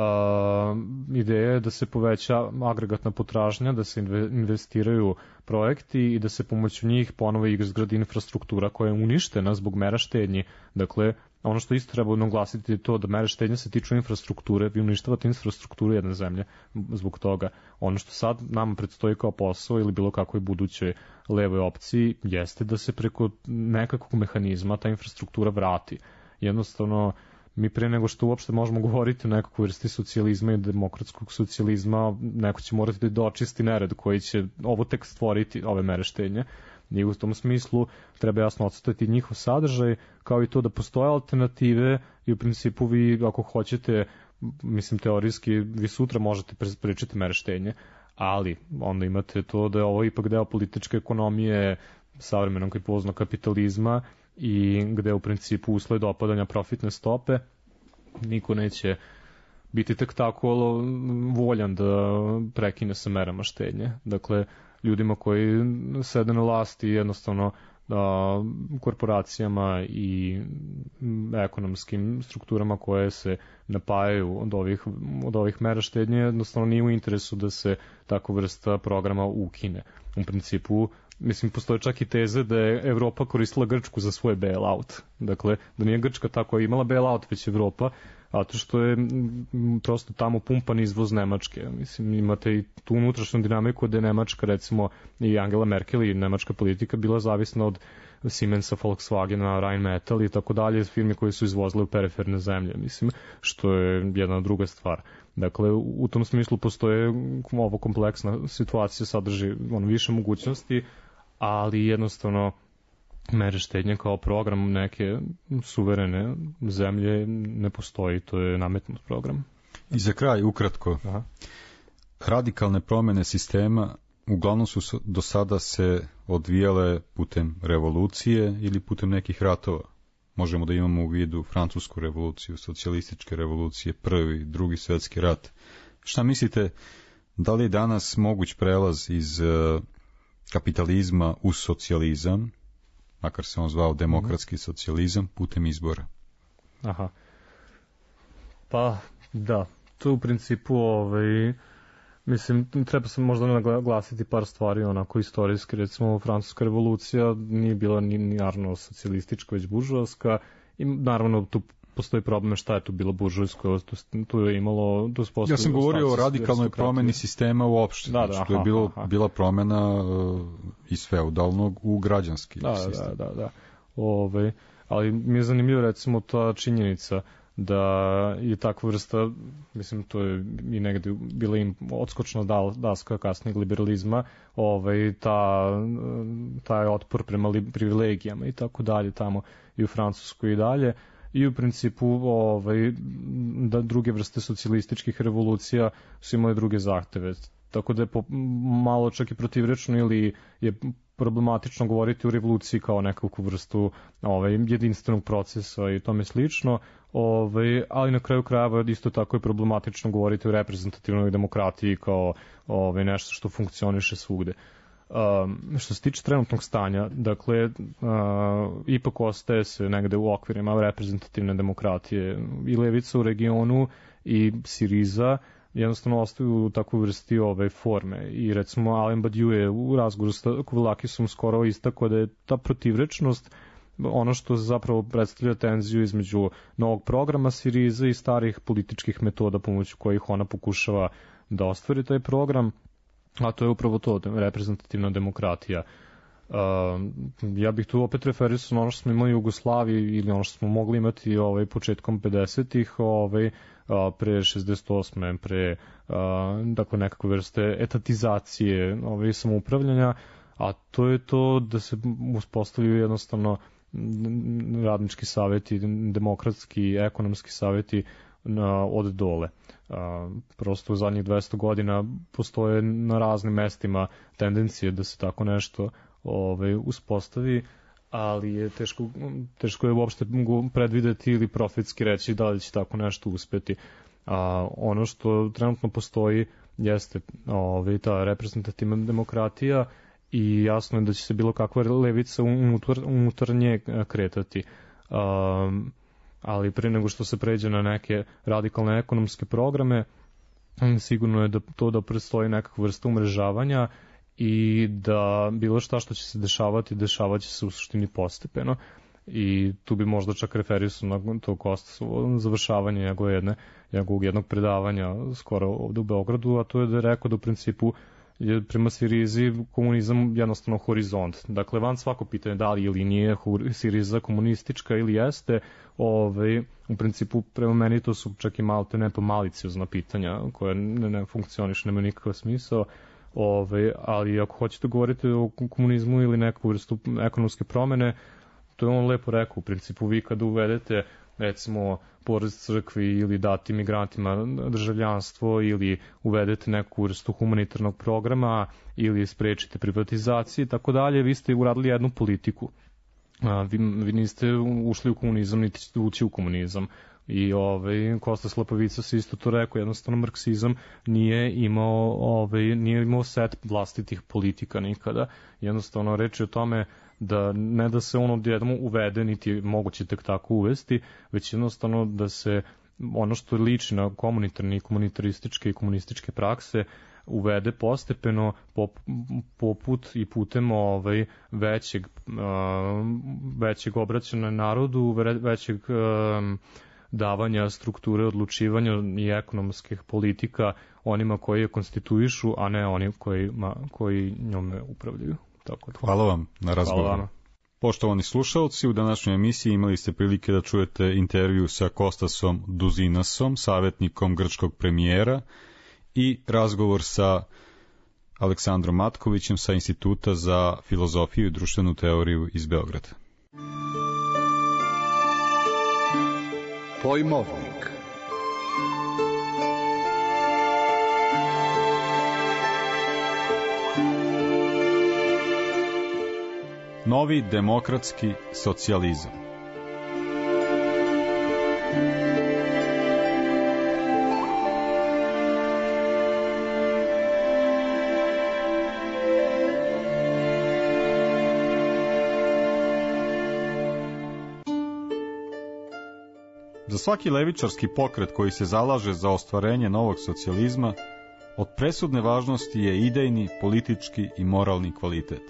ideja je da se poveća agregatna potražnja, da se investiraju projekti i da se pomoću njih ponovo izgradi infrastruktura koja je uništena zbog mera štednji. Dakle, ono što isto treba naglasiti je to da mere štednje se tiču infrastrukture, vi uništavate infrastrukturu jedne zemlje zbog toga. Ono što sad nama predstoji kao posao ili bilo kakvoj budućoj levoj opciji jeste da se preko nekakvog mehanizma ta infrastruktura vrati. Jednostavno, mi pre nego što uopšte možemo govoriti o nekakvoj vrsti socijalizma i demokratskog socijalizma, neko će morati da dočisti nered koji će ovo tek stvoriti, ove mere štednje. I u tom smislu treba jasno odstati njihov sadržaj, kao i to da postoje alternative i u principu vi, ako hoćete, mislim teorijski, vi sutra možete pričati mere štednje, ali onda imate to da je ovo ipak deo političke ekonomije savremenog i poznog kapitalizma i gde u principu usled opadanja profitne stope niko neće biti tek tako voljan da prekine sa merama štednje. Dakle, ljudima koji sede na vlasti jednostavno a, korporacijama i ekonomskim strukturama koje se napajaju od ovih, od ovih mera štednje jednostavno nije u interesu da se tako vrsta programa ukine. U principu, mislim, postoje čak i teze da je Evropa koristila Grčku za svoj bailout. Dakle, da nije Grčka tako imala bailout, već Evropa, zato što je m, prosto tamo pumpan izvoz Nemačke. Mislim, imate i tu unutrašnju dinamiku da je Nemačka, recimo, i Angela Merkel i nemačka politika bila zavisna od Siemensa, Volkswagena, Rheinmetall i tako dalje, firme koje su izvozile u periferne zemlje, mislim, što je jedna druga stvar. Dakle, u tom smislu postoje ovo kompleksna situacija, sadrži ono, više mogućnosti, ali jednostavno mere štednje kao program neke suverene zemlje ne postoji, to je nametnut program. I za kraj, ukratko, Aha. radikalne promene sistema uglavnom su do sada se odvijale putem revolucije ili putem nekih ratova. Možemo da imamo u vidu francusku revoluciju, socijalističke revolucije, prvi, drugi svjetski rat. Šta mislite, da li je danas moguć prelaz iz uh, kapitalizma u socijalizam, makar se on zvao demokratski socijalizam, putem izbora? Aha. Pa, da. To u principu, ovaj, mislim, treba se možda naglasiti par stvari, onako istorijski, recimo, francuska revolucija nije bila ni naravno socijalistička, već buržoaska, i naravno tu postoji problem šta je tu bilo buržujsko, tu, tu je imalo... Tu ja sam govorio o radikalnoj promeni sistema uopšte, da, da, znači, to je bilo, aha. bila promena uh, iz feudalnog u građanski da, sistem. Da, da, da. Ove, ali mi je zanimljivo recimo ta činjenica da je takva vrsta, mislim, to je i negde bila im odskočna daska kasnijeg liberalizma, ovaj, ta, taj otpor prema li, privilegijama i tako dalje tamo i u Francuskoj i dalje, i u principu ovaj, da druge vrste socijalističkih revolucija su imali druge zahteve. Tako da je po, malo čak i protivrečno ili je problematično govoriti o revoluciji kao nekakvu vrstu ovaj, jedinstvenog procesa i tome slično, ovaj, ali na kraju krajeva isto tako je problematično govoriti o reprezentativnoj demokratiji kao ovaj, nešto što funkcioniše svugde. Um, što se tiče trenutnog stanja, dakle, uh, ipak ostaje se negde u okvirima reprezentativne demokratije i levica u regionu i Siriza jednostavno ostaju u takvoj vrsti ove forme. I recimo Alain Badiou je u razgovoru sa Kouvelakisom skoro istakao da je ta protivrečnost ono što zapravo predstavlja tenziju između novog programa Siriza i starih političkih metoda pomoću kojih ona pokušava da ostvari taj program, a to je upravo to, reprezentativna demokratija. Uh, ja bih tu opet referisao na ono što smo imali u Jugoslaviji ili ono što smo mogli imati ovaj, početkom pedesetih, ovaj, pre šezdeset osme pre uh, dakle nekakve vrste etatizacije ovaj, samoupravljanja, a to je to da se uspostavljaju jednostavno radnički savjeti, demokratski, ekonomski savjeti na, od dole. A, prosto u zadnjih dvesta godina postoje na raznim mestima tendencije da se tako nešto ovaj, uspostavi, ali je teško, teško je uopšte predvideti ili profetski reći da li će tako nešto uspeti. A, ono što trenutno postoji jeste ovaj, ta reprezentativna demokratija i jasno je da će se bilo kakva levica unutar, unutar nje kretati. Um, ali pre nego što se pređe na neke radikalne ekonomske programe, sigurno je da to da predstoji nekakva vrsta umrežavanja i da bilo šta što će se dešavati, dešavat će se u suštini postepeno. I tu bi možda čak referisao na to Kostasovo završavanje njegove jedne, njegovog jednog predavanja skoro ovde u Beogradu, a to je da je rekao da u principu je prema Sirizi komunizam jednostavno horizont. Dakle, van svako pitanje da li ili nije Siriza komunistička ili jeste, ovaj, u principu prema meni to su čak i malte ne to maliciozna pitanja koje ne, ne funkcioniš, nema nikakav smisao. Ovaj, ali ako hoćete govoriti o komunizmu ili neku vrstu ekonomske promene, to je on lepo rekao. U principu vi kada uvedete recimo porez crkvi ili dati migrantima državljanstvo ili uvedete neku vrstu humanitarnog programa ili sprečite privatizaciju i tako dalje, vi ste uradili jednu politiku. A, vi, vi niste ušli u komunizam, niti ćete ući u komunizam. I ovaj, Kostas Lapovica se isto to rekao, jednostavno marksizam nije imao, ovaj, nije imao set vlastitih politika nikada. Jednostavno reč je o tome da ne da se ono odjednom uvede, niti je moguće tek tako uvesti, već jednostavno da se ono što liči na komunitarne i komunitarističke i komunističke prakse uvede postepeno pop, poput i putem ovaj, većeg, uh, većeg obraćanja narodu, većeg uh, davanja strukture odlučivanja i ekonomskih politika onima koji je konstituišu, a ne oni kojima, koji njome upravljaju. Tako da. Hvala vam na razgovoru. Poštovani slušalci, u današnjoj emisiji imali ste prilike da čujete intervju sa Kostasom Duzinasom, savjetnikom grčkog premijera, i razgovor sa Aleksandrom Matkovićem sa Instituta za filozofiju i društvenu teoriju iz Beograda. Pojmovnik. novi demokratski socijalizam. Za svaki levičarski pokret koji se zalaže za ostvarenje novog socijalizma, od presudne važnosti je idejni, politički i moralni kvalitet.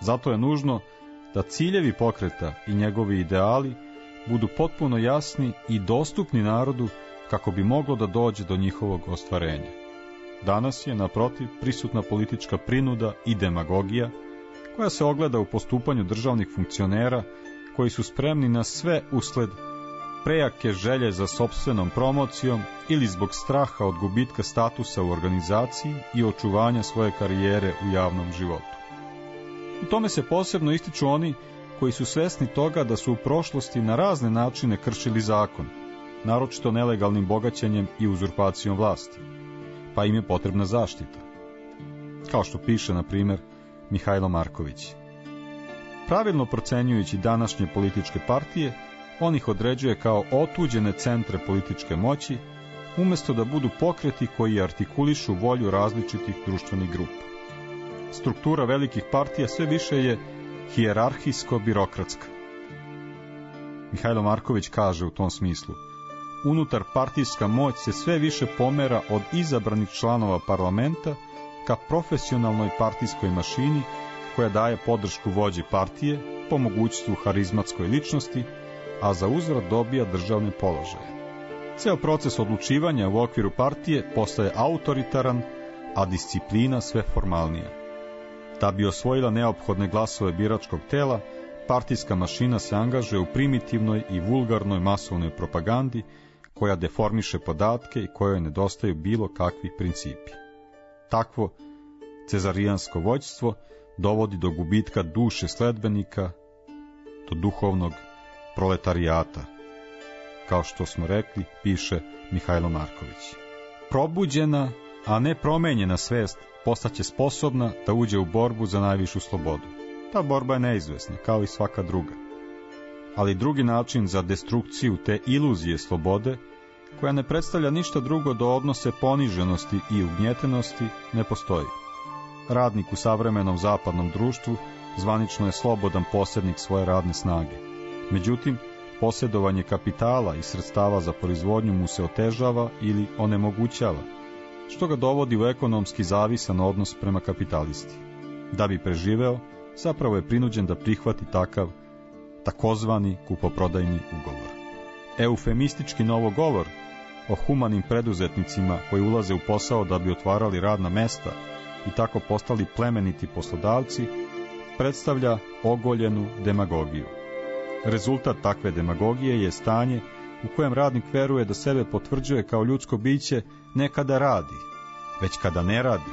Zato je nužno da ciljevi pokreta i njegovi ideali budu potpuno jasni i dostupni narodu kako bi moglo da dođe do njihovog ostvarenja. Danas je, naprotiv, prisutna politička prinuda i demagogija, koja se ogleda u postupanju državnih funkcionera koji su spremni na sve usled prejake želje za sopstvenom promocijom ili zbog straha od gubitka statusa u organizaciji i očuvanja svoje karijere u javnom životu. U tome se posebno ističu oni koji su svesni toga da su u prošlosti na razne načine kršili zakon, naročito nelegalnim bogaćenjem i uzurpacijom vlasti, pa im je potrebna zaštita. Kao što piše, na primjer, Mihajlo Marković. Pravilno procenjujući današnje političke partije, on ih određuje kao otuđene centre političke moći, umjesto da budu pokreti koji artikulišu volju različitih društvenih grupa. Struktura velikih partija sve više je hijerarhijsko-birokratska. Mihajlo Marković kaže u tom smislu: unutar partijska moć se sve više pomera od izabranih članova parlamenta ka profesionalnoj partijskoj mašini koja daje podršku vođi partije po mogućstvu harizmatskoj ličnosti, a za uzvrat dobija državne položaje. Ceo proces odlučivanja u okviru partije postaje autoritaran, a disciplina sve formalnija. Da bi osvojila neophodne glasove biračkog tela, partijska mašina se angažuje u primitivnoj i vulgarnoj masovnoj propagandi koja deformiše podatke i kojoj nedostaju bilo kakvi principi. Takvo cezarijansko vođstvo dovodi do gubitka duše sledbenika, do duhovnog proletarijata, kao što smo rekli, piše Mihajlo Marković. Probuđena, a ne promenjena svest postaće sposobna da uđe u borbu za najvišu slobodu. Ta borba je neizvesna, kao i svaka druga. Ali drugi način za destrukciju te iluzije slobode, koja ne predstavlja ništa drugo do odnose poniženosti i ugnjetenosti, ne postoji. Radnik u savremenom zapadnom društvu zvanično je slobodan posjednik svoje radne snage. Međutim, posjedovanje kapitala i sredstava za proizvodnju mu se otežava ili onemogućava, što ga dovodi u ekonomski zavisan odnos prema kapitalisti. Da bi preživeo, zapravo je prinuđen da prihvati takav takozvani kupoprodajni ugovor. Eufemistički novogovor o humanim preduzetnicima koji ulaze u posao da bi otvarali radna mesta i tako postali plemeniti poslodavci, predstavlja ogoljenu demagogiju. Rezultat takve demagogije je stanje u kojem radnik veruje da sebe potvrđuje kao ljudsko biće ne kada radi, već kada ne radi,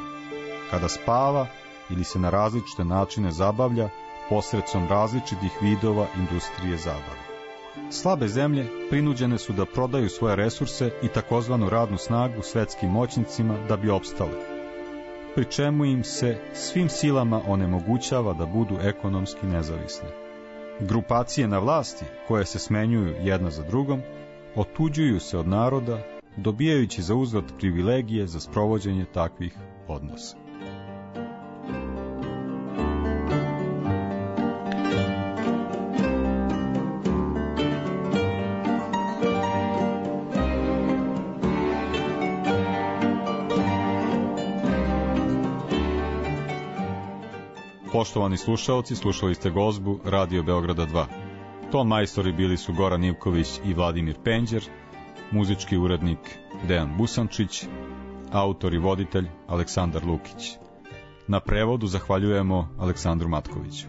kada spava ili se na različite načine zabavlja posredstvom različitih vidova industrije zabave. Slabe zemlje prinuđene su da prodaju svoje resurse i takozvanu radnu snagu svetskim moćnicima da bi opstale, pri čemu im se svim silama onemogućava da budu ekonomski nezavisne. Grupacije na vlasti, koje se smenjuju jedna za drugom, otuđuju se od naroda, dobijajući za uzvrat privilegije za sprovođenje takvih odnosa. Poštovani slušaoci, slušali ste gozbu Radio Beograda dva. Ton majstori bili su Goran Ivković i Vladimir Penđer, muzički urednik Dejan Busančić, autor i voditelj Aleksandar Lukić. Na prevodu zahvaljujemo Aleksandru Matkoviću.